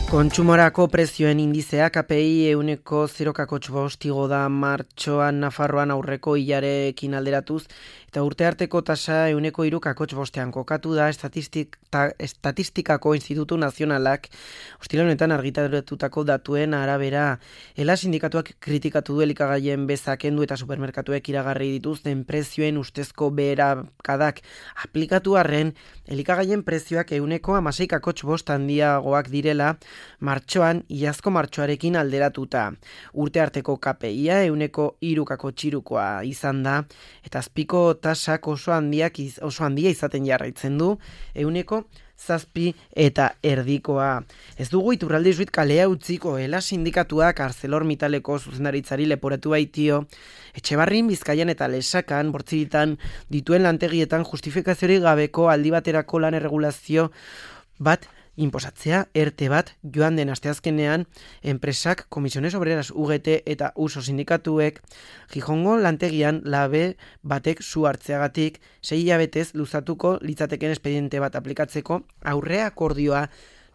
Kontsumorako prezioen indizea KPI euneko 0,5 igo da martxoan Nafarroan aurreko hilarekin alderatuz, eta urte arteko tasa euneko 3,5 kokatu da Estatistikako Institutu Nazionalak ostira honetan argitaratutako datuen arabera. Ela sindikatuak kritikatu du elikagaien beza kendu eta supermerkatuek iragarri dituzten prezioen ustezko beherakadak aplikatu arren, elikagaien prezioak euneko 16,5 handiagoak direla, martxoan, iazko martxoarekin alderatuta. Urte arteko KPIa euneko 3,3 izan da, eta azpiko tasak oso handia izaten jarraitzen du, euneko 7 eta erdikoa. Ez dugu Iturralde Izuit kalea utziko, Ela sindikatuak ArcelorMittaleko zuzendaritzari leporatu baitio, Etxebarrin, Bizkaian eta Lesakan, bortziritan dituen lantegietan justifikaziorik gabeko aldi baterako lan erregulazio bat inposatzea, ERTE bat, joan den asteazkenean, enpresak, Komisiones Obreras UGT eta USO sindikatuek, Gijongo lantegian labe batek zu hartzeagatik 6 hilabetez luzatuko litzateken espediente bat aplikatzeko aurrea akordioa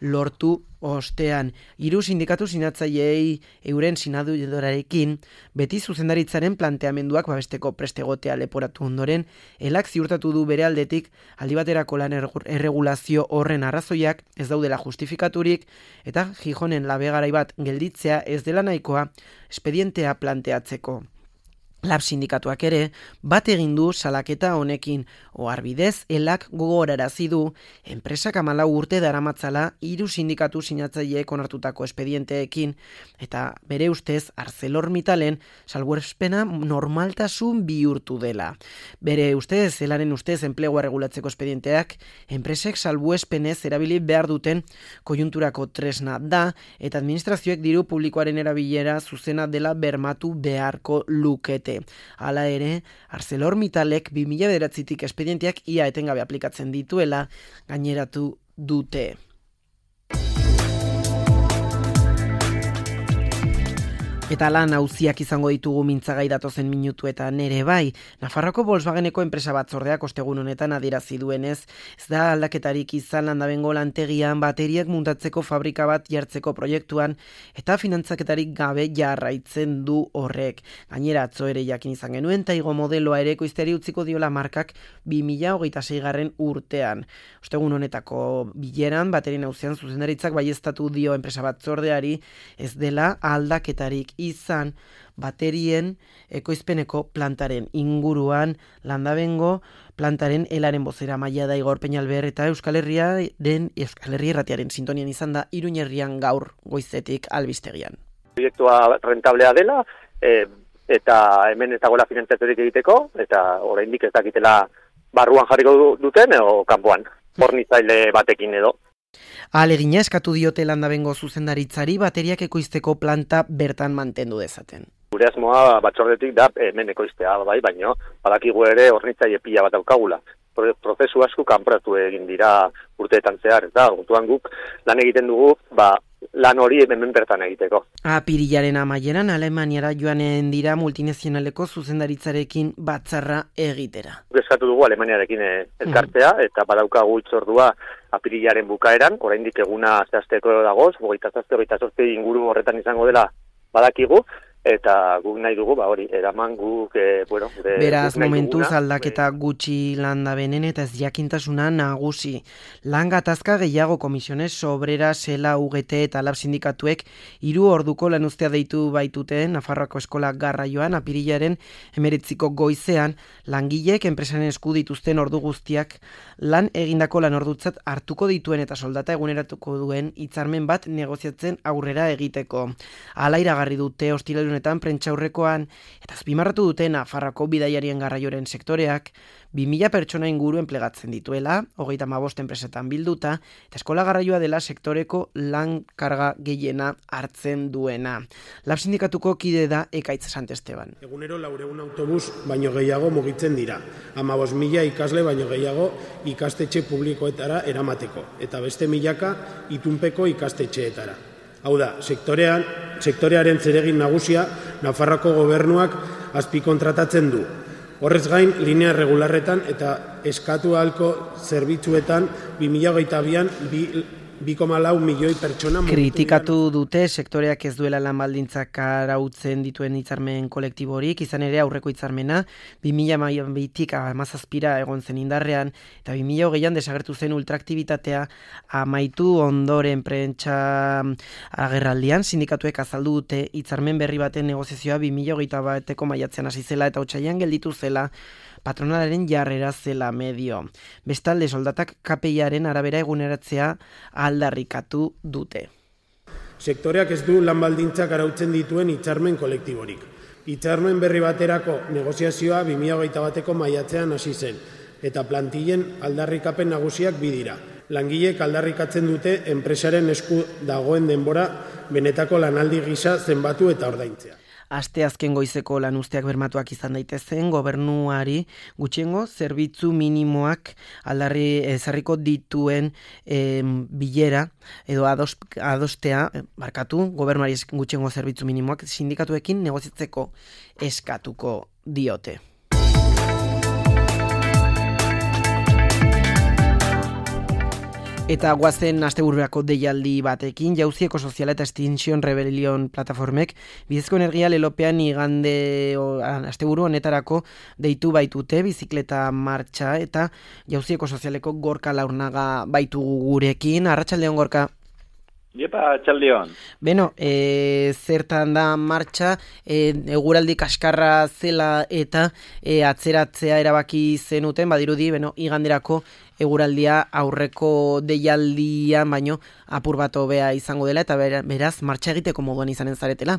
lortu ostean. 3 sindikatu sinatzaileei euren sinadudorarekin beti zuzendaritzaren planteamenduak babesteko prestegotea leporatu ondoren, Elak ziurtatu du bere aldetik aldi baterako lan erregulazio horren arrazoiak ez daudela justifikaturik eta Gijonen labegarai bat gelditzea ez dela nahikoa espedientea planteatzeko. Lab sindikatuak ere, bat egin du salaketa honekin, oharbidez Elak gogorarazi du, enpresak 14 urte daramatzala 3 sindikatu sinatzaileek onartutako espedienteekin, eta bere ustez ArcelorMittalen salbuespena normaltasun bihurtu dela. Bere ustez, Elaren ustez enplegua regulatzeko espedienteak, enpresek salbuespenez erabili behar duten koiunturako tresna da, eta administrazioek diru publikoaren erabilera zuzena dela bermatu beharko lukete. Hala ere, ArcelorMittalek 2009tik espedienteak ia etengabe aplikatzen dituela gaineratu dute. Eta lan auziak izango ditugu mintzagai datozen minutuetan ere bai. Nafarroko Volkswageneko enpresa batzordeak ostegun honetan adierazi duenez, ez da aldaketarik izan Landabengo lantegian bateriak muntatzeko fabrika bat jartzeko proiektuan eta finantzaketarik gabe jarraitzen du horrek. Gainera atzo ere jakin izan genuen Taigo modeloa ere ekoizteari utziko diola markak 2026. urtean. Ostegun honetako bileran baterien auzian zuzendaritzak baieztatu dio enpresa batzordeari ez dela aldaketarik izan baterien ekoizpeneko plantaren inguruan. Landabengo plantaren Elaren bozera maila da Igor Peñalver eta Euskal Herria Irratiaren sintonian izan da Iruña herrian gaur goizetik albistegian. Proiektua rentablea dela eta hemen ez dagoela finantzaturik egiteko eta oraindik ez dakitela barruan jarriko duten edo kanpoan hornitzaile batekin edo. Ahalegina eskatu diote Landabengo zuzendaritzari bateriak ekoizteko planta bertan mantendu dezaten. Gure asmoa batzordetik da hemen ekoiztea bai, baino badakigu ere hornitzaile pila bat daukagula. Prozesu asko kanporatu egin dira urteetan zehar, eta orduan guk lan egiten dugu, lan hori hemen bertan egiteko. Apirilaren amaieran Alemaniara joanen dira multinazionaleko zuzendaritzarekin batzarra egitera. Eskatu dugu Alemaniarekin elkartzea, eta badaukagu hitzordua apirilaren bukaeran, oraindik eguna zehazteko dagoz, 27-28 inguru horretan izango dela badakigu, eta guk nahi dugu, hori, eraman guk, beraz, momentuz aldaketa gutxi Landabenen eta ez jakintasuna nagusi. Lan gatazka gehiago Komisiones Obreras, Ela, UGT eta Lab sindikatuek 3 orduko lanuztea deitu baitute Nafarroako eskola garraioan apirilaren 19 goizean, langilek enpresaren esku dituzten ordu guztiak lan egindako lanordutzat hartuko dituen eta soldata eguneratuko duen hitzarmen bat negoziatzen aurrera egiteko. Hala iragarri dute ostiraletan prentsaurrekoan eta azpimarratu dute Nafarroako bidaiarien garraioaren sektoreak 2000 pertsona inguru enplegatzen dituela, 35 enpresetan bilduta, eta eskola garraioa dela sektoreko lan karga gehiena hartzen duena. Lab sindikatuko kide da Ekaitz Santesteban. Egunero 400 autobus baino gehiago mugitzen dira. 15.000 ikasle baino gehiago ikastetxe publikoetara eramateko, eta beste 1000 itunpeko ikastetxeetara. Hau da, sektorearen zeregin nagusia Nafarroako gobernuak azpikontratatzen du. Horrez gain, linea regularretan eta eskatu ahalko zerbitzuetan 2022an 2,4 milioi pertsona kritikatu dute sektoreak ez duela lan baldintzak arautzen dituen hitzarmen kolektiborik, izan ere aurreko hitzarmena 2012tik 17ra egon zen indarrean eta 2020an desagertu zen ultraaktibitatea amaitu ondoren prentsa agerraldian sindikatuek azaldu dute hitzarmen berri baten negoziazioa 2021eko maiatzean hasi zela eta otsailean gelditu zela patronalaren jarrera zela medio. Bestalde soldatak KPIaren arabera eguneratzea aldarrikatu dute. Sektoreak ez du lan baldintzak arautzen dituen hitzarmen kolektiborik. Hitzarmen berri baterako negoziazioa 2021eko maiatzean hasi zen, eta plantillen aldarrikapen nagusiak bi dira. Langileek aldarrikatzen dute enpresaren esku dagoen denbora benetako lanaldi gisa zenbatu eta ordaintzea. Aste azken goizeko lanuzteak bermatuak izan daitezen, gobernuari gutxiengo zerbitzu minimoak aldarri ezarriko dituen bilera edo adostea, gobernuari gutxiengo zerbitzu minimoak sindikatuekin negoziatzeko eskatuko diote. Eta guazen asteburuako deialdi batekin, Jauzi Ekosoziala eta Extinction Rebellion plataformek bidezko energia lelopean igande asteburu honetarako deitu baitute bizikleta martxa eta Jauzi Ekosozialeko Gorka Laurnaga baitugu gurekin. Arratsaldeon Gorka. Iepa, txaldion. Beno, zertan da martxa, eguraldi kaskarra zela eta atzeratzea erabaki zenuten, badirudi, iganderako eguraldia aurreko deialdian baino apur bat hobea izango dela eta beraz martxa egiteko moduan izanen zaretela.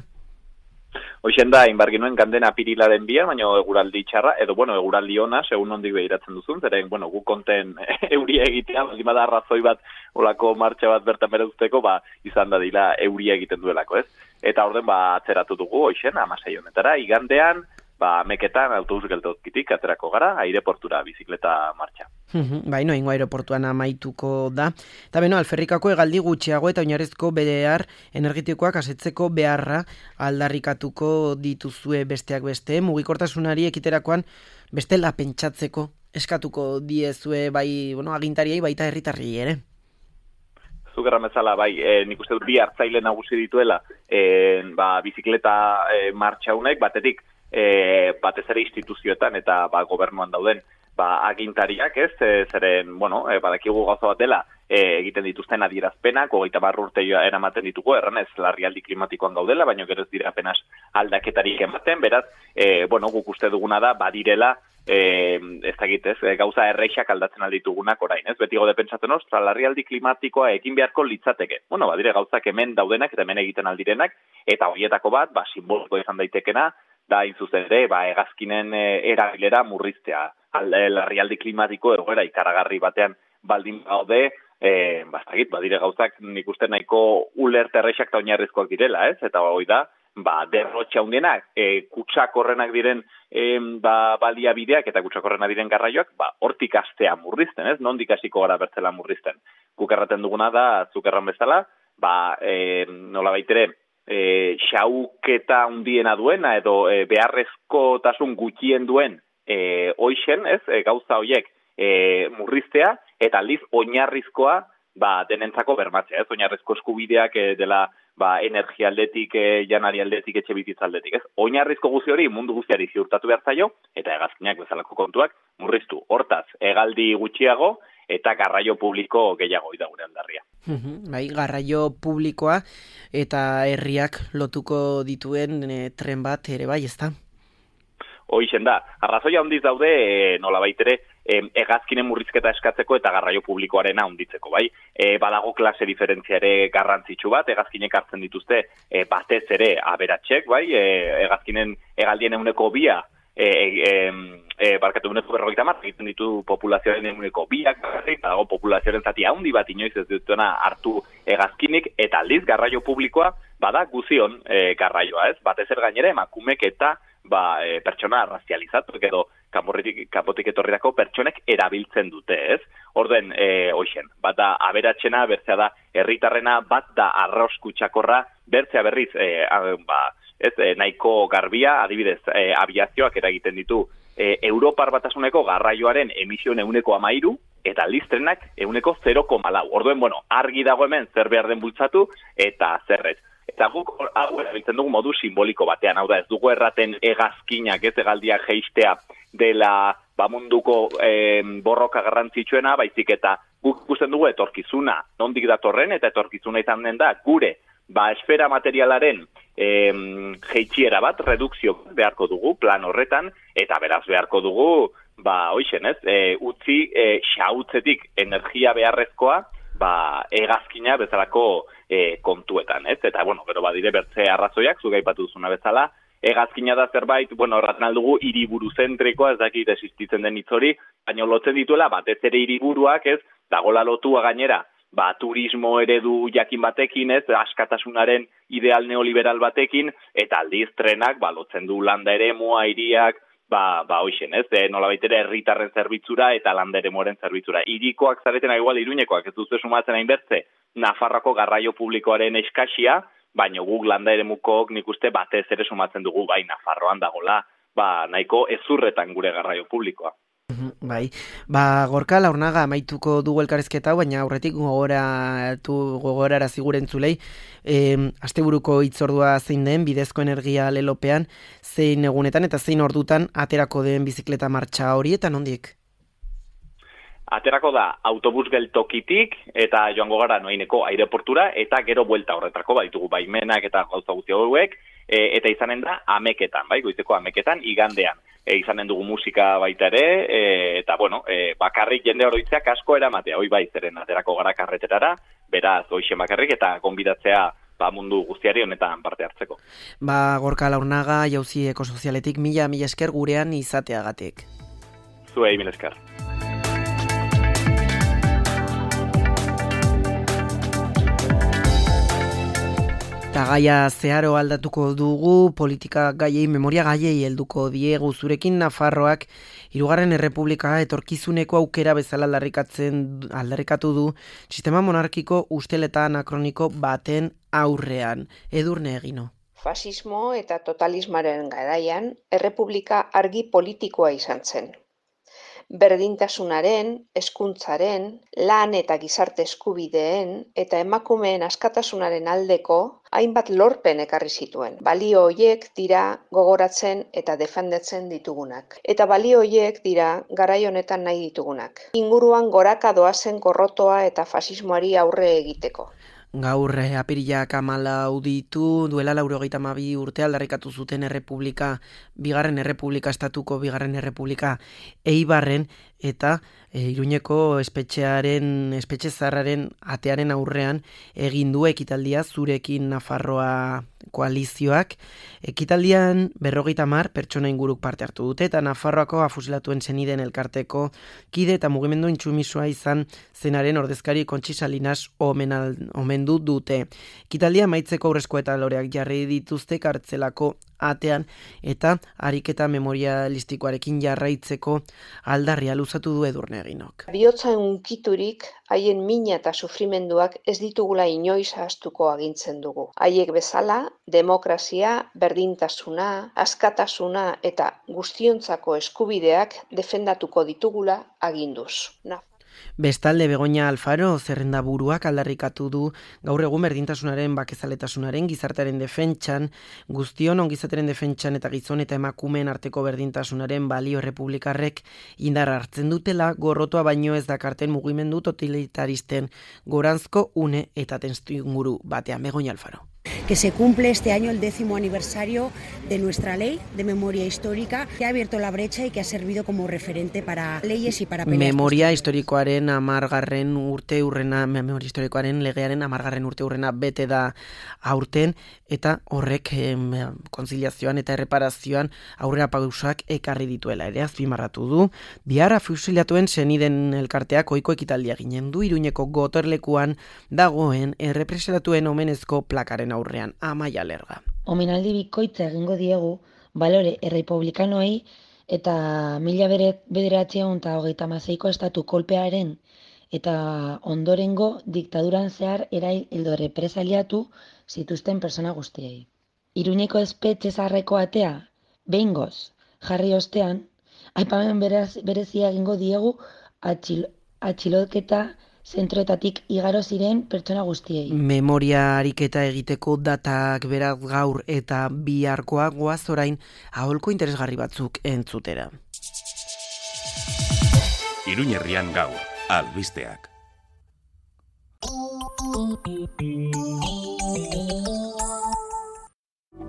Hoixen da, inbarginuen ganden apirilaren bia, baina eguraldi txarra, edo, eguraldi ona, segun ondik behiratzen duzun, zeren, gu konten euria egitea, baldin bada arrazoi bat, olako martxa bat bertan bere usteko, izan da dila euria egiten duelako, ez? Eta orden, atzeratu dugu, hoixen, 16 honetara, igandean, meketan autobus geltozkitik aterako gara, aireportura, bizikleta martxa. Ingo aireportuan amaituko da. Eta alferrikako hegaldi gutxiago eta oinarrizko behar energetikoak asetzeko beharra aldarrikatuko dituzue besteak beste. Mugikortasunari ekiterakoan bestela pentsatzeko eskatuko diezue agintariei baita herritarri ere. Zugerra mezala, nik uste dut bi hartzaile nagusi dituela bizikleta martxa honek, batetik batez ere instituzioetan eta gobernuan dauden agintariak, ez, zeren, badakigu gauza bat dela, egiten dituzten adierazpenak, 30 urte eramaten ditugu, erranez, larrialdi klimatikoan gaudela, baina gero ez dira apenas aldaketarik ematen, beraz, guk uste duguna da, badirela, ez dakit, ez, gauza erreixak aldatzen alditugunak orain, ez, beti gode pentsatzen ostra, larrialdi klimatikoa egin beharko litzateke. Badire gauzak hemen daudenak eta hemen egiten aldirenak, eta horietako bat, simboliko izan daitekena, da inzuzen ere, hegazkinen erabilera murriztea. Larrialdi klimatiko egoera ikaragarri batean baldin gaude, badire gauzak nik uste nahiko ulerte errexak eta oinarrizkoak direla, ez? Eta hoi da, derrotxe handienak, kutsakorrenak diren baliabideak eta kutsakorrenak diren garraioak, hortik astea murrizten, ez? Nondik hasiko gara bertzela murrizten. Guk erraten duguna da, zuk erran bezala, nola baitere, xauketa handiena duena edo beharrezkotasun gutxien duen hoixen, ez, gauza horiek murriztea, eta aldiz oinarrizkoa denentzako bermatzea, ez, oinarrizko eskubideak dela energia aldetik, janari aldetik, etxe bizitza aldetik, ez, oinarrizko guzti hori mundu guztiari ziurtatu behar zaio, eta hegazkinak bezalako kontuak murriztu, hortaz, hegaldi gutxiago, eta garraio publiko gehiago da gure aldarria. Garraio publikoa eta herriak lotuko dituen tren bat ere ez da? Hoixen da, arrazoia handiz daude, nola baitere, hegazkinen murrizketa eskatzeko eta garraio publikoaren handitzeko, badago klase diferentzia ere garrantzitsu bat, hegazkinek hartzen dituzte batez ere aberatxek, hegazkinen hegaldien 2%, barkatu 150 egiten ditu populazioaren 2%, dago populazioaren zati handi bat inoiz ez dutena hartu hegazkinik, eta aldiz garraio publikoa bada guzion garraioa, ez? Batez ere gainera emakumek eta pertsona arrazializatu, edo kanpotik etorrirako pertsonek erabiltzen dute, ez? Orden, hoixen, bat da aberatxena, bertzea da herritarrena, bat da arroz kutsakorra, bertzea berriz, nahiko garbia, adibidez, abiazioak eragiten ditu Europar Batasuneko garraioaren emisioen 13%, eta aldiz trenak 0,4. Orduen, argi dago hemen zer behar den bultzatu eta zerrez. Eta guk hau erabiltzen dugu modu simboliko batean, hau da, ez dugu erraten hegazkinak, ez hegaldiak jeistea dela munduko borroka garrantzitsuena, baizik eta guk ikusten dugu etorkizuna, nondik datorren, eta etorkizuna izan den da, gure esfera materialaren jeitsiera bat, redukzio beharko dugu plan horretan, eta beraz beharko dugu, hoixen ez, utzi xautzetik energia beharrezkoa, hegazkina bezalako kontuetan, ez? Eta, gero badire bertze arrazoiak, zuga aipatu duzuna bezala, hegazkina da zerbait, erraten aldugu hiriburuzentrikoa, ez dakit existitzen den hitz hori, baina lotzen dituela batez ere hiriburuak, ez, dagola lotua gainera, turismo eredu jakin batekin, ez, askatasunaren ideal neoliberal batekin, eta aldiz trenak, lotzen du landa eremua, hiriak, hoixen, ez, nolabait ere herritarren zerbitzura eta landa eremuaren zerbitzura. Hirikoak zaretena igual Iruñekoak, ez duzu sumatzen hainbertze, Nafarroako garraio publikoaren eskasia, baina guk landa eremukok nik uste batez ere sumatzen dugu, Nafarroan dagola, nahiko ezurretan gure garraio publikoa. Bai, Gorka Laurnaga amaituko dugu elkarrizketa hau, baina aurretik gogorara zigurenzulei, asteburuko hitzordua zein den bidezko energia lelopean, zein egunetan eta zein ordutan aterako den bizikleta martxa hori eta nondik? Aterako da autobus geltokitik eta joango gara Noaineko aireportura eta gero buelta horretako baditugu baimenak eta gauza guzti hauek, eta izanen da ameketan, goizeko ameketan igandean. Izanen dugu musika baita ere, eta bakarrik jende oroitzeak asko eramatea, zeren aterako gara karreterara, beraz hoixe bakarrik eta gonbidatzea mundu guztiari honetan parte hartzeko. Gorka Laurnaga, Jauzi Ekosozialetik, mila esker gurean izateagatik. Zuei, mila esker. Eta gaia zeharo aldatuko dugu, politika gaiei, memoria gaiei helduko diegu zurekin Nafarroak Hirugarren Errepublika etorkizuneko aukera bezala aldarrikatu du sistema monarkiko usteleta anakroniko baten aurrean. Edurne Egino. Fasismo eta totalismaren garaian errepublika argi politikoa izan zen. Berdintasunaren, hezkuntzaren, lan eta gizarte eskubideen eta emakumeen askatasunaren aldeko hainbat lorpen ekarri zituen. Balio horiek dira gogoratzen eta defendatzen ditugunak. Eta balio horiek dira garai honetan nahi ditugunak. Inguruan goraka doazen gorrotoa eta fasismoari aurre egiteko. Gaur apirilak 14 ditu, duela 92 urte aldarrikatu zuten errepublika, bigarren errepublika, estatuko bigarren errepublika Eibarren, eta Iruñeko espetxe zaharraren atearen aurrean egin du ekitaldia Zurekin Nafarroa koalizioak. Ekitaldian 50 pertsona inguruk parte hartu dute, eta Nafarroako afusilatuen senideen elkarteko kide eta mugimendu intsumisua izan zenaren ordezkari Kontxi Salinas omendu dute. Ekitaldia amaitzeko aurrezko eta loreak jarri dituzte kartzelako atean, eta ariketa memorialistikoarekin jarraitzeko aldarria luzatu du Edurne Eginok. Bihotza unkiturik haien mina eta sufrimenduak ez ditugula inoiz ahaztuko agintzen dugu. Haiek bezala, demokrazia, berdintasuna, askatasuna eta guztiontzako eskubideak defendatuko ditugula aginduz. Bestalde Begoña Alfaro zerrendaburuak aldarrikatu du gaur egun berdintasunaren, bakezaletasunaren, gizartearen defentsan, guztion ongizateren defentsan eta gizon eta emakumeen arteko berdintasunaren balio errepublikarrek indar hartzen dutela, gorrotoa baino ez dakarten mugimendu totalitaristen goranzko une eta testuinguru batean. Begoña Alfaro. Que se cumple este año el 10º aniversario de nuestra ley de memoria histórica, que ha abierto la brecha y que ha servido como referente para leyes y para peleas. Memoria historikoaren 10. urteurrena, memoria historikoaren legearen 10. urteurrena bete da aurten, eta horrek konziliazioan eta erreparazioan aurrera pausoak ekarri dituela ere azpimarratu du. Bihar fusilatuen seniden elkarteak ohiko ekitaldia ginen du Iruñeko gotorlekuan dagoen errepresatatuen omenezko plakaren aurrean. Amaia Lerga. Omenaldi bikoitza egingo diegu balore errepublikanoei eta 1936ko estatu kolpearen eta ondorengo diktaduran zehar erail edo represaliatu zituzten persona guztiei. Iruñeko espetxe zaharreko atea behingoz jarri ostean, aipamen berezia egingo diegu atxiloketa zentroetatik igaro ziren pertsona guztiei. Memoria ariketa egiteko datak beraz gaur eta biharkoa goaz orain aholko interesgarri batzuk entzutera. Iruñerrian gaur, albisteak.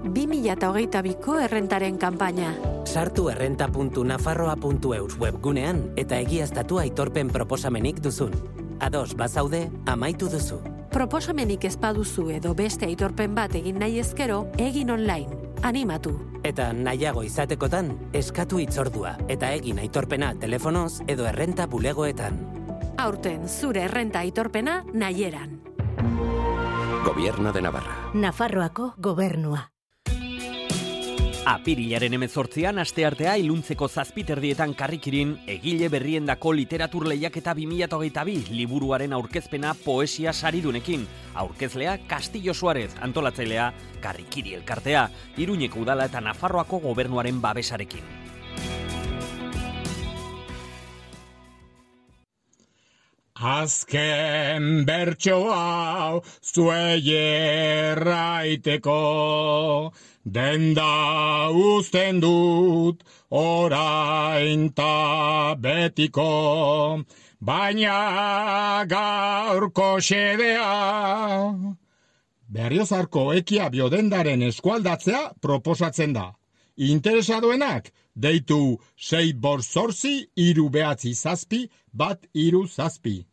...2022ko errentaren kanpaina. Sartu errenta.nafarroa.eus webgunean eta egiaztatu aitorpen proposamenik duzun. Ados bazaude, amaitu duzu. Proposamenik ez baduzu edo beste aitorpen bat egin nahi ezkero, egin online. Animatu. Eta nahiago izatekotan, eskatu hitzordua eta egin aitorpena telefonoz edo errenta bulegoetan. Aurten zure errenta aitorpena nahieran. Gobierno de Navarra. Nafarroako gobernua. Apirilaren 18an asteartea iluntzeko 7:00 karrikirin egile berriendako literatur lehiaketa 2022 liburuaren aurkezpena poesia saridunekin. Aurkezlea Castillo Suárez, antolatzailea Karrikiri elkartea, Iruñeko udala eta Nafarroako gobernuaren babesarekin. Azken bertso hau zuei erraiteko, denda uzten dut orain ta betiko, baina gaurko xedea Berriozarko ekia biodendaren eskualdatzea proposatzen da. Interesadoenak deitu 648-397-137.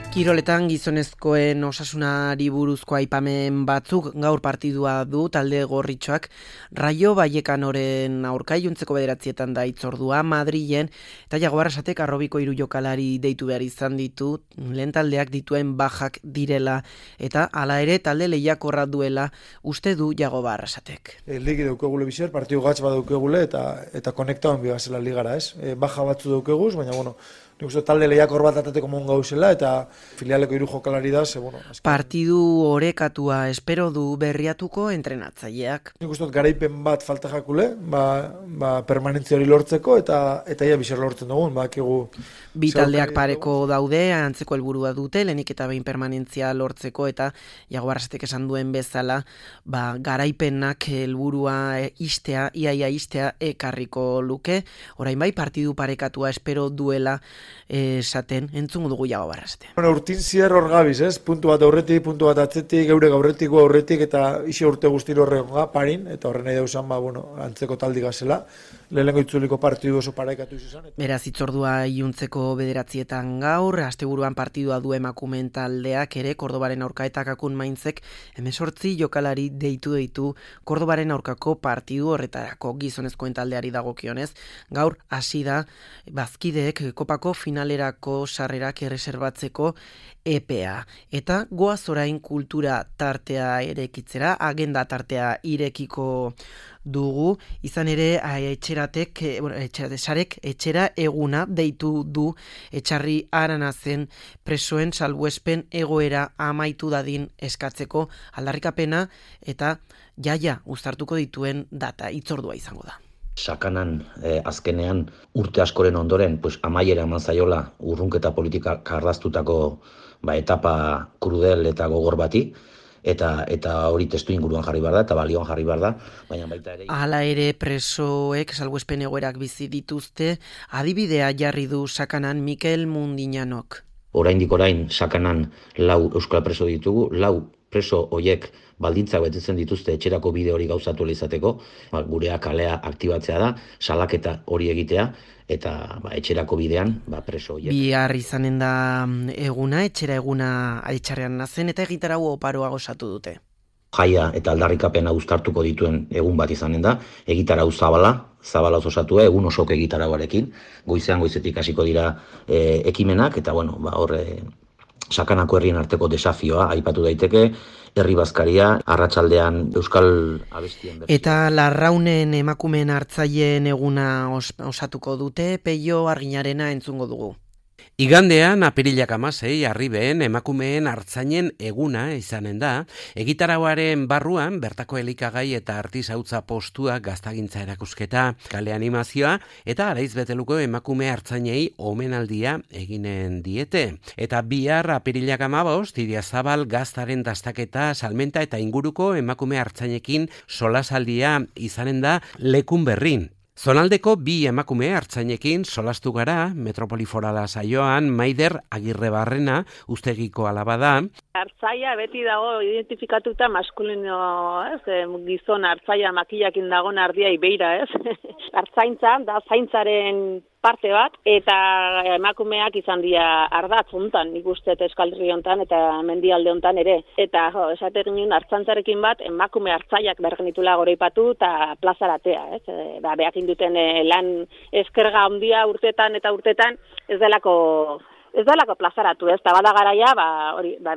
Kiroletan gizonezkoen osasunari buruzko aipamen batzuk gaur partidua du talde gorritxoak Rayo Vallecanoren aurka iluntzeko 9:00 da hitzordua Madrilen eta Jago Arrasatek Arrobiko 3 jokalari deitu behar izan ditu lehen taldeak dituen bajak direla eta hala ere talde lehiakorra duela uste du Jago Arrasatek. Ligi daukegule bizer, partidu gatz bat daukegule eta konektauen bigazela ligara, ez? Baja batzu daukeguz, baina bueno, nik uste talde lehiakor bat atateko mon gauzela eta filialeko 3 jokalari da, ze bueno. Partidu orekatua espero du Berriatuko entrenatzaileak. Nik uste garaipen bat falta jakule, permanentzia hori lortzeko eta ia bizer lortzen dugun, bakigu. Bi taldeak pareko daude, antzeko helburua dute, lehenik eta behin permanentzia lortzeko eta Jago Arrasatek esan duen bezala, garaipenak helburua iaia istea ekarriko luke. Orain bai partidu parekatua espero duela esaten entzungo dugu Jago Arrasatea. Urtin zier hor gabiz, ez? Puntu bat aurretik, puntu bat atzetik, geure gaurretiko aurretik eta isi urte guztiro horregonga parin, eta horren nahi dauzan, antzeko taldi gazela. Lehenengo itzuliko partidu oso parekatu izan. Beraz, hitzordua iluntzeko 9:00 gaur, asteburuan partidua du emakumeen taldeak ere, Kordobaren aurka eta Kakun Mainzek 18 jokalari deitu Kordobaren aurkako partidu horretarako gizonezkoen taldeari dagokionez. Gaur hasi da bazkideek kopako finalerako sarrerak erreserbatzeko EPA. Eta goaz orain kultura tartea irekitzera, agenda tartea irekiko dugu, izan ere etxeratesarek etxera eguna deitu du Etxarri Aranazen presoen salbuespen egoera amaitu dadin eskatzeko aldarrikapena eta jaia uztartuko dituen data hitzordua izango da. Sakanan azkenean urte askoren ondoren amaiera eman zaiola urrunketa politika karraztutako etapa krudel eta gogor bati, eta hori testu inguruan jarri behar da, eta balioan jarri behar da, baina baita ere... Hala ere presoek salbuespen egoerak bizi dituzte, adibidea jarri du Sakanan Mikel Mundinanok. Oraindik Sakanan 4 euskal preso ditugu, 4 preso hoiek baldintzak betetzen dituzte etxerako bide hori gauzatu izateko, gurea kalea aktibatzea da, salaketa hori egitea, eta etxerako bidean preso horiek. Bihar izanen da eguna, etxera eguna Aitxarrean nazen, eta egitarau oparoa gozatu dute. Jaia eta aldarrikapena uztartuko dituen egun bat izanen da, egitarau zabala osatu egun osok egitarauarekin, goizetik hasiko dira ekimenak, eta horre Sakanako herrien arteko desafioa aipatu daiteke, herri bazkaria, arratsaldean euskal abestien bertsioa. Eta Larraunen emakumeen hartzaileen eguna osatuko dute, Peio Arginarena entzungo dugu. Igandean, apirilak 16, Arriben emakumeen artzainen eguna izanen da. Egitarauaren barruan, bertako elikagai eta artisautza postua gaztagintza erakusketa, kale animazioa eta araiz beteluko emakume artzainei omenaldia eginen diete. Eta bihar apirilak 15, Idiazabal gaztaren dastaketa, salmenta eta inguruko emakume artzainekin solasaldia izanen da Lekun Berrin. Zonaldeko bi emakume artzainekin solastu gara, Metropoli Forala saioan, Maider Agirrebarrena ustegiko alaba da. Artzaia beti dago identifikatuta maskulino, gizon artzaia makillakin dagoen ardia ibeira, Artzaintza da zaintzaren parte bat, eta emakumeak izan dira ardatz hontan, nik uste Euskalherri hontan eta mendialde hontan ere. Eta esate ginen artzantzarekin bat, emakume artzaiak bergenitula goreipatu eta plazaratea. Beak induten lan eskerga handia urtetan eta urtetan, ez delako plazaratu, eta bada garaia,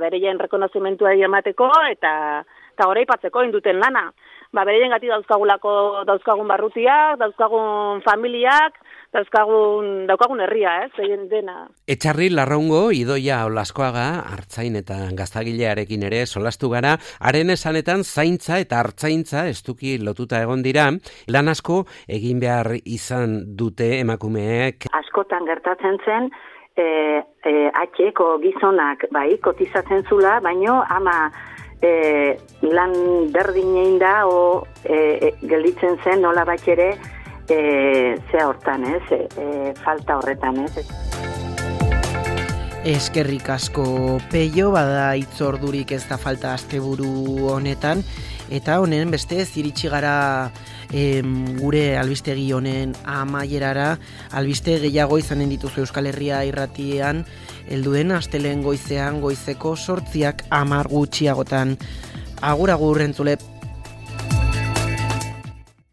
bereien rekonozimentua emateko eta goraipatzeko induten lana. Bereien gati dauzkagun barrutiak, dauzkagun familiak, daukagun herria, dena. Etxarri Larraungo, Idoia Olaskoaga, artzain eta gaztagilearekin ere solastu gara, haren esanetan zaintza eta artzaintza estuki lotuta egon dira, lan asko egin behar izan dute emakumeek. Askotan gertatzen zen, atxeko gizonak kotizatzen zula, baino ama lan berdinein da gelditzen zen nola bat ere zea hortan, falta horretan, Eskerrik asko Peio, bada itzordurik ez da falta asteburu honetan, eta honen beste iritsi gara gure albistegi honen amaierara. Albiste gehiago izanen dituzu Euskal Herria irratian, helduen astelehen goizean goizeko 8:10 gutxiagotan. Agur entzule.